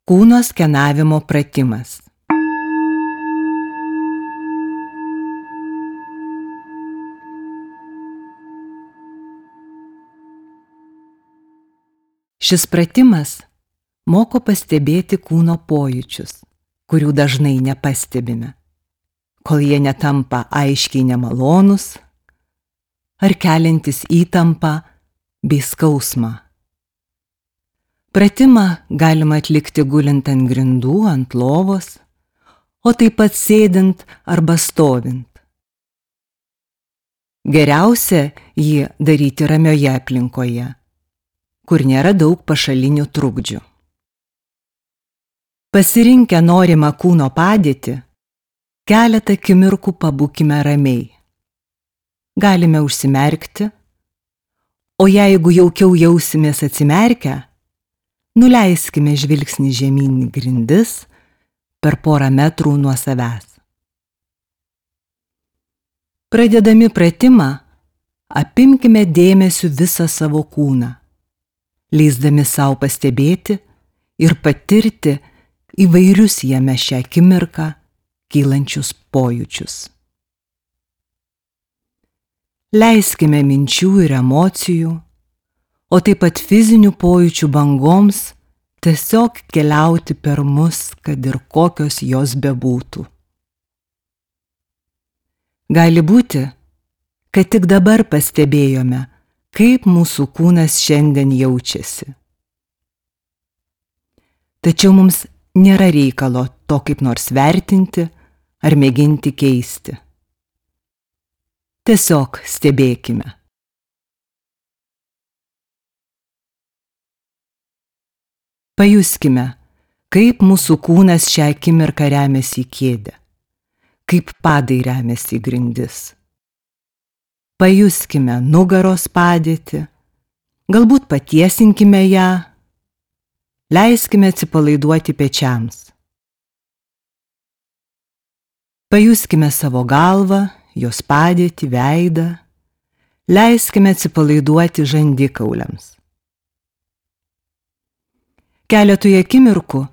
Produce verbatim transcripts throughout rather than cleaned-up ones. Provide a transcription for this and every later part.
Kūno skenavimo pratimas. Šis pratimas moko pastebėti kūno pojūčius, kurių dažnai nepastebime, kol jie netampa aiškiai nemalonus ar keliantis įtampą bei skausmą. Pratimą galima atlikti gulint ant grindų, ant lovos, o taip pat sėdint arba stovint. Geriausia jį daryti ramioje aplinkoje, kur nėra daug pašalinių trukdžių. Pasirinkę norimą kūno padėtį, keletą akimirkų pabūkime ramiai. Galime užsimerkti, o jeigu jaukiau jausimės atsimerkę, nuleiskime žvilgsnį žemyn į grindis per porą metrų nuo savęs. Pradėdami pratimą, apimkime dėmesiu visą savo kūną, leisdami savo pastebėti ir patirti įvairius jame šią akimirką kylančius pojūčius. Leiskime minčių ir emocijų, o taip pat fizinių pojūčių bangoms tiesiog keliauti per mus, kad ir kokios jos bebūtų. Gali būti, kad tik dabar pastebėjome, kaip mūsų kūnas šiandien jaučiasi. Tačiau mums nėra reikalo to kaip nors vertinti ar mėginti keisti. Tiesiog stebėkime. Pajuskime, kaip mūsų kūnas šią akimirką remiasi į kėdę, kaip padai remiasi į grindis. Pajuskime nugaros padėtį, galbūt patiesinkime ją, leiskime atsipalaiduoti pečiams. Pajuskime savo galvą, jos padėtį, veidą, leiskime atsipalaiduoti žandikauliams. Keletui akimirkų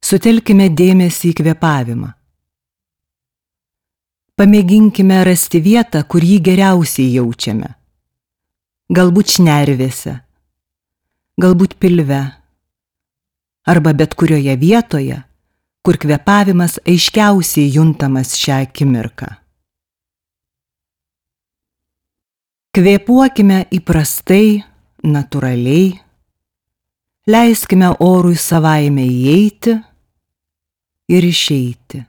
sutelkime dėmesį į kvėpavimą. Pamėginkime rasti vietą, kur jį geriausiai jaučiame. Galbūt šnervėse, galbūt pilve, arba bet kurioje vietoje, kur kvėpavimas aiškiausiai juntamas šią akimirką. Kvėpuokime įprastai, natūraliai, leiskime orui savaime įeiti ir išeiti.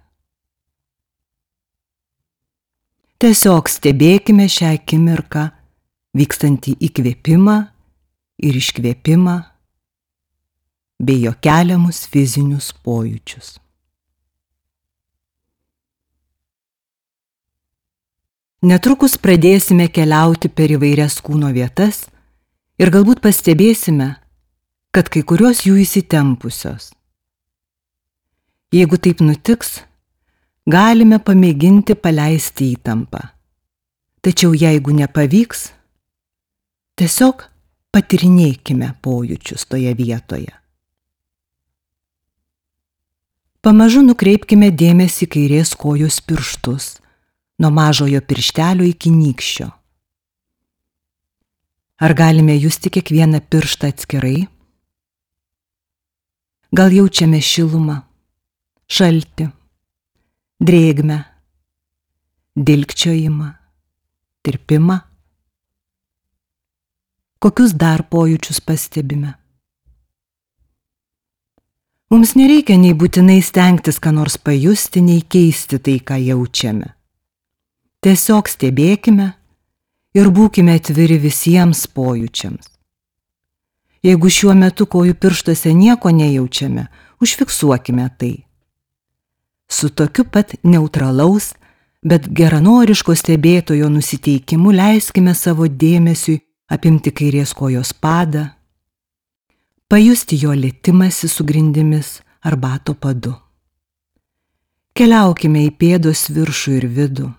Tiesiog stebėkime šią akimirką vykstantį įkvėpimą ir iškvėpimą bei jo keliamus fizinius pojūčius. Netrukus pradėsime keliauti per įvairias kūno vietas ir galbūt pastebėsime, kad kai kurios jų įsitempusios. Jeigu taip nutiks, galime pamėginti paleisti įtampą. Tačiau jeigu nepavyks, tiesiog patirinėkime pojūčius toje vietoje. Pamažu nukreipkime dėmesį kairės kojos pirštus, nuo mažojo pirštelio iki nykščio. Ar galime justi kiekvieną pirštą atskirai? Gal jaučiame šilumą, šaltį, drėgmę, dilgčiojimą, tirpimą? Kokius dar pojūčius pastebime? Mums nereikia nei būtinai stengtis ką nors pajusti, nei keisti tai, ką jaučiame. Tiesiog stebėkime ir būkime atviri visiems pojūčiams. Jeigu šiuo metu kojų pirštuose nieko nejaučiame, užfiksuokime tai. Su tokiu pat neutralaus, bet geranoriško stebėtojo nusiteikimu leiskime savo dėmesiui apimti kairės kojos padą, pajusti jo lietimąsi su grindimis ar bato padu. Keliaukime į pėdos viršų ir vidų.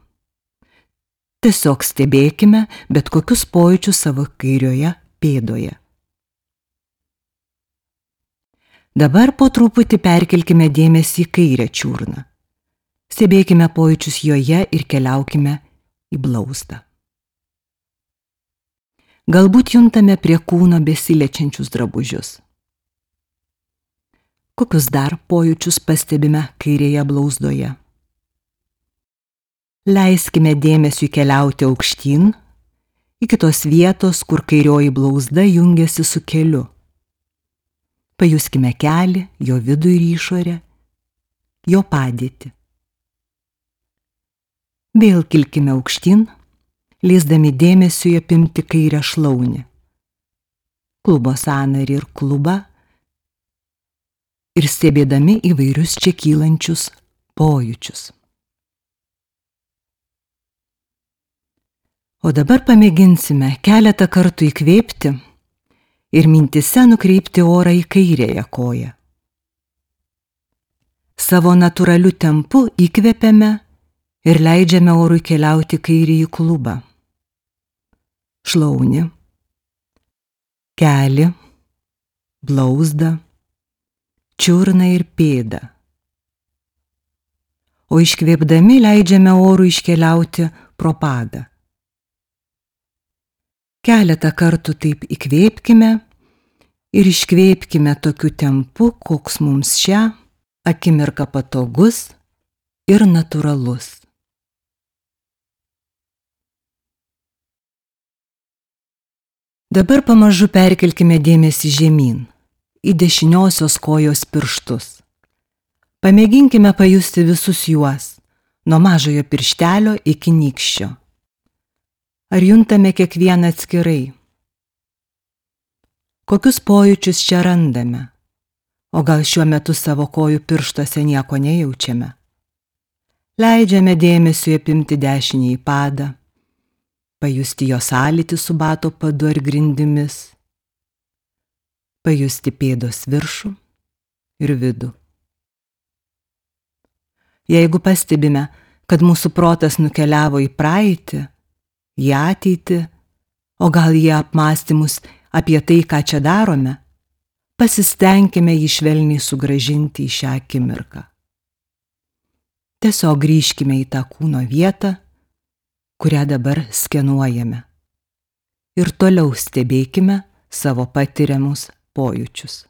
Tiesiog stebėkime bet kokius pojūčius savo kairioje pėdoje. Dabar po truputį perkelkime dėmesį į kairę čiurną. Stebėkime pojūčius joje ir keliaukime į blauzdą. Galbūt juntame prie kūno besiliečiančius drabužius. Kokius dar pojūčius pastebime kairėje blauzdoje? Leiskime dėmesiui keliauti aukštyn, iki tos vietos, kur kairioji blauzda jungiasi su keliu. Pajuskime kelį, jo vidų ir išorę, jo padėtį. Vėl kilkime aukštyn, leisdami dėmesiui apimti kairę šlaunį, klubo sąnarį ir klubą ir stebėdami įvairius čia kylančius pojūčius. O dabar pamėginsime keletą kartų įkvėpti ir mintise nukreipti orą į kairėją koją. Savo natūraliu tempu įkvepiame ir leidžiame orui keliauti kairįjį klubą, šlaunį, kelį, blauzdą, čiurną ir pėdą. O iškvėpdami leidžiame orui iškeliauti pro padą. Keletą kartų taip įkvėpkime ir iškvėpkime tokiu tempu, koks mums šią akimirką patogus ir natūralus. Dabar pamažu perkelkime dėmesį žemyn, į dešiniosios kojos pirštus. Pamėginkime pajusti visus juos, nuo mažojo pirštelio iki nykščio. Ar juntame kiekvieną atskirai? Kokius pojūčius čia randame? O gal šiuo metu savo kojų pirštuose nieko nejaučiame? Leidžiame dėmesiui apimti dešinįjį padą, pajusti jo sąlytį su bato padu ar grindimis, pajusti pėdos viršų ir vidų. Jeigu pastebime, kad mūsų protas nukeliavo į praeitį, į ateitį, o gal į apmąstymus apie tai, ką čia darome, pasistengime jį švelniai sugrąžinti į šią akimirką. Tiesiog grįžkime į tą kūno vietą, kurią dabar skenuojame, ir toliau stebėkime savo patiriamus pojūčius.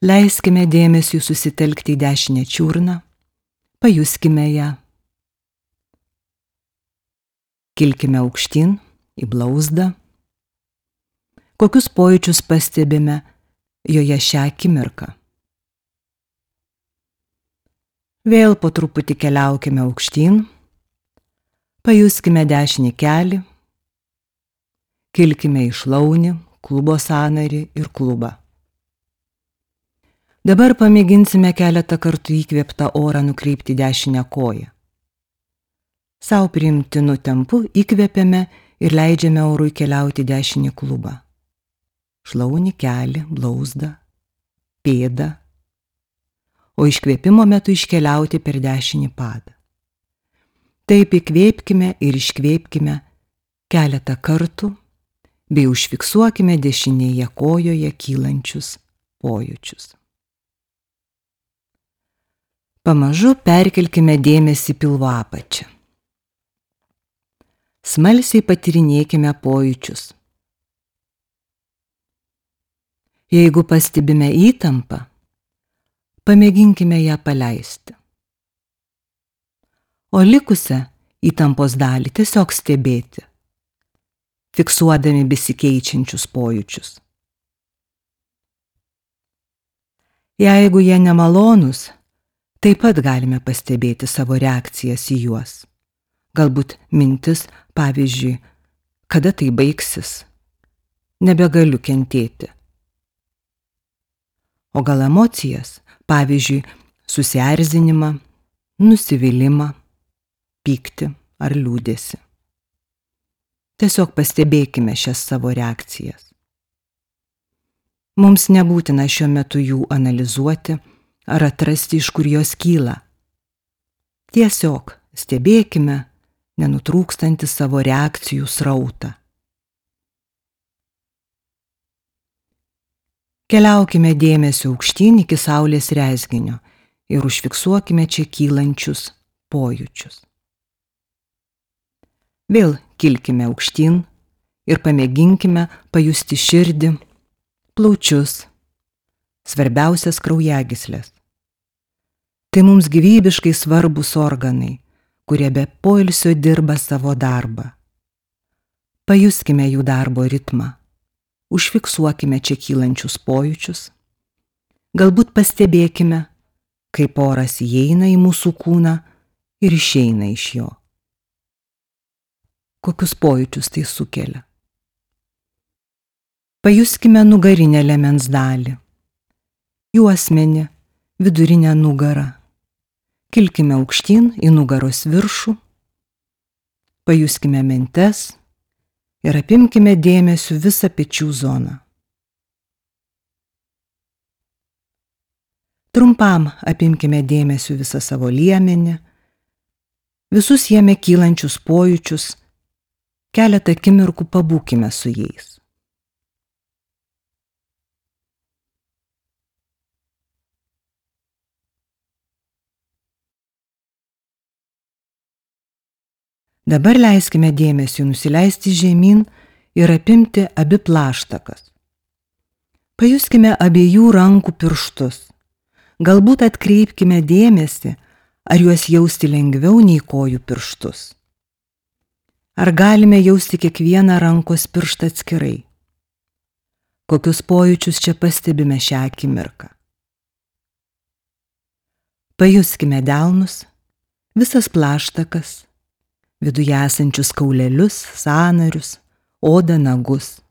Leiskime dėmesiui susitelkti į dešinę čiurną, pajuskime ją. Kilkime aukštyn į blauzdą. Kokius pojūčius pastebime joje šią akimirką? Vėl po truputį keliaukime aukštyn, pajuskime dešinį kelį, kilkime į šlaunį, klubo sąnarį ir klubą. Dabar pamėginsime keletą kartų įkvėptą orą nukreipti dešinę koją. Sau priimtinu tempu įkvepiame ir leidžiame orui keliauti dešinį klubą. Šlaunį, kelį, blauzdą, pėdą, o iškvėpimo metu iškeliauti per dešinį padą. Taip įkvėpkime ir iškvėpkime keletą kartų, bei užfiksuokime dešinėje kojoje kylančius pojūčius. Pamažu perkelkime dėmesį pilvo apačią. Smalsiai patyrinėkime pojūčius. Jeigu pastebime įtampą, pamėginkime ją paleisti. O likusią įtampos dalį tiesiog stebėti, fiksuodami besikeičiančius pojūčius. Jeigu jie nemalonūs, taip pat galime pastebėti savo reakcijas į juos. Galbūt mintis, pavyzdžiui, kada tai baigsis, nebegaliu kentėti. O gal emocijas, pavyzdžiui, susierzinimą, nusivylimą, pyktį ar liūdesį. Tiesiog pastebėkime šias savo reakcijas. Mums nebūtina šiuo metu jų analizuoti ar atrasti, iš kur jos kyla. Tiesiog stebėkime nenutrūkstantį savo reakcijų srautą. Keliaukime dėmesio aukštyn iki saulės rezginio ir užfiksuokime čia kylančius pojūčius. Vėl kilkime aukštyn ir pamėginkime pajusti širdį, plaučius, svarbiausias kraujagyslės. Tai mums gyvybiškai svarbus organai, kurie be poilsio dirba savo darbą. Pajuskime jų darbo ritmą, užfiksuokime čia kylančius pojūčius, galbūt pastebėkime, kaip oras įeina į mūsų kūną ir išeina iš jo. Kokius pojūčius tai sukelia? Pajuskime nugarinę liemens dalį, juosmenį, vidurinę nugarą. Kilkime aukštyn į nugaros viršų, pajuskime mentes ir apimkime dėmesiu visą pečių zoną. Trumpam apimkime dėmesiu visą savo liemenį, visus jame kylančius pojūčius, keletą akimirkų pabūkime su jais. Dabar leiskime dėmesiu nusileisti žemyn ir apimti abi plaštakas. Pajuskime abiejų rankų pirštus. Galbūt atkreipkime dėmesį, ar juos jausti lengviau nei kojų pirštus. Ar galime jausti kiekvieną rankos pirštą atskirai? Kokius pojūčius čia pastebime šią akimirką? Pajuskime delnus, visas plaštakas, viduje esančius kaulelius, sąnarius, odą, nagus.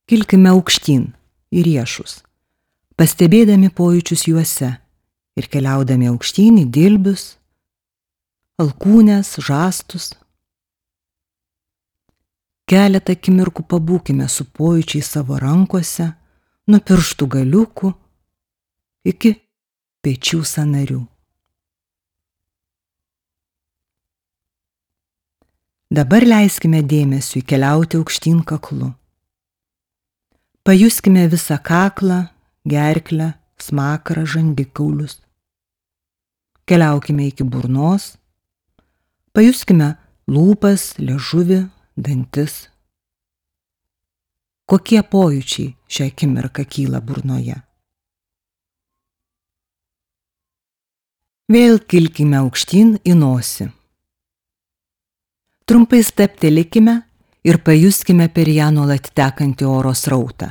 Kilkime aukštyn į riešus, pastebėdami pojūčius juose ir keliaudami aukštyn į dilbius, alkūnes, žastus. Keletą akimirkų pabūkime su pojūčiais savo rankose, nuo pirštų galiukų iki pečių sąnarių. Dabar leiskime dėmesiui keliauti aukštyn kaklu. Pajuskime visą kaklą, gerklę, smakrą, žandikaulius. Keliaukime iki burnos. Pajuskime lūpas, liežuvį, dantis. Kokie pojūčiai šią akimirką kyla burnoje? Vėl kilkime aukštyn į nosį. Trumpai stabtelėkime ir pajuskime per ją nuolat tekantį oro srautą.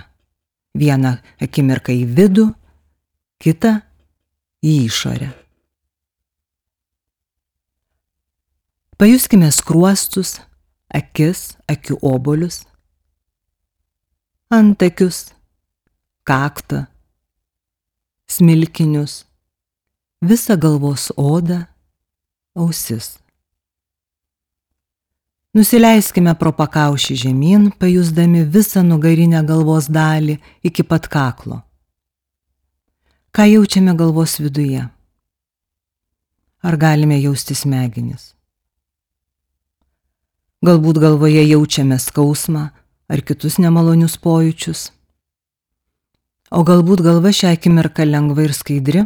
Vieną akimirką į vidų, kitą į išorę. Pajuskime skruostus, akis, akių obuolius, antakius, kaktą, smilkinius, visą galvos odą, ausis. Nusileiskime pro pakaušį žemyn, pajusdami visą nugarinę galvos dalį iki pat kaklo. Ką jaučiame galvos viduje? Ar galime jausti smegenis? Galbūt galvoje jaučiame skausmą ar kitus nemalonius pojūčius. O galbūt galva šią akimirką lengva ir skaidri?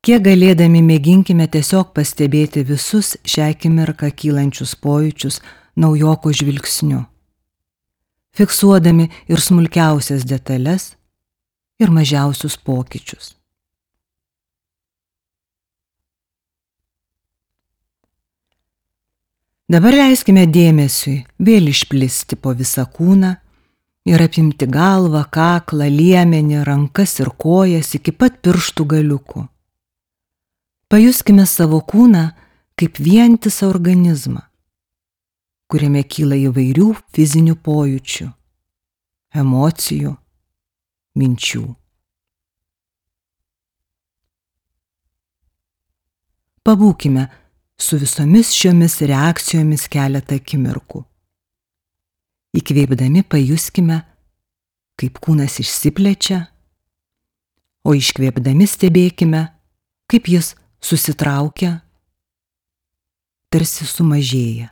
Kiek galėdami mėginkime tiesiog pastebėti visus šią akimirką kylančius pojūčius naujoko žvilgsniu, fiksuodami ir smulkiausias detalės, ir mažiausius pokyčius. Dabar leiskime dėmesiui vėl išplisti po visą kūną ir apimti galvą, kaklą, liemenį, rankas ir kojas iki pat pirštų galiukų. Pajuskime savo kūną kaip vientisą organizmą, kuriame kyla įvairių fizinių pojūčių, emocijų, minčių. Pabūkime su visomis šiomis reakcijomis keletą akimirkų. Įkvėpdami pajuskime, kaip kūnas išsiplečia, o iškvėpdami stebėkime, kaip jis susitraukia, tarsi sumažėja.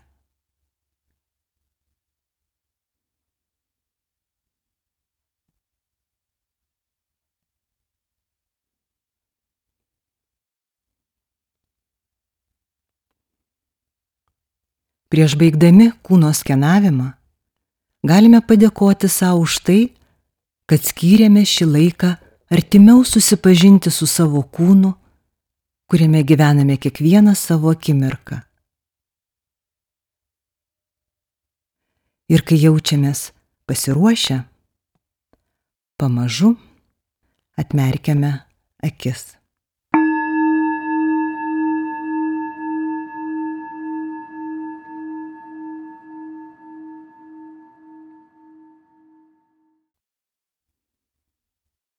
Prieš baigdami kūno skenavimą galime padėkoti savo už tai, kad skyrėme šį laiką artimiau susipažinti su savo kūnu, kuriame gyvename kiekvieną savo akimirką. Ir kai jaučiamės pasiruošę, pamažu atmerkiame akis.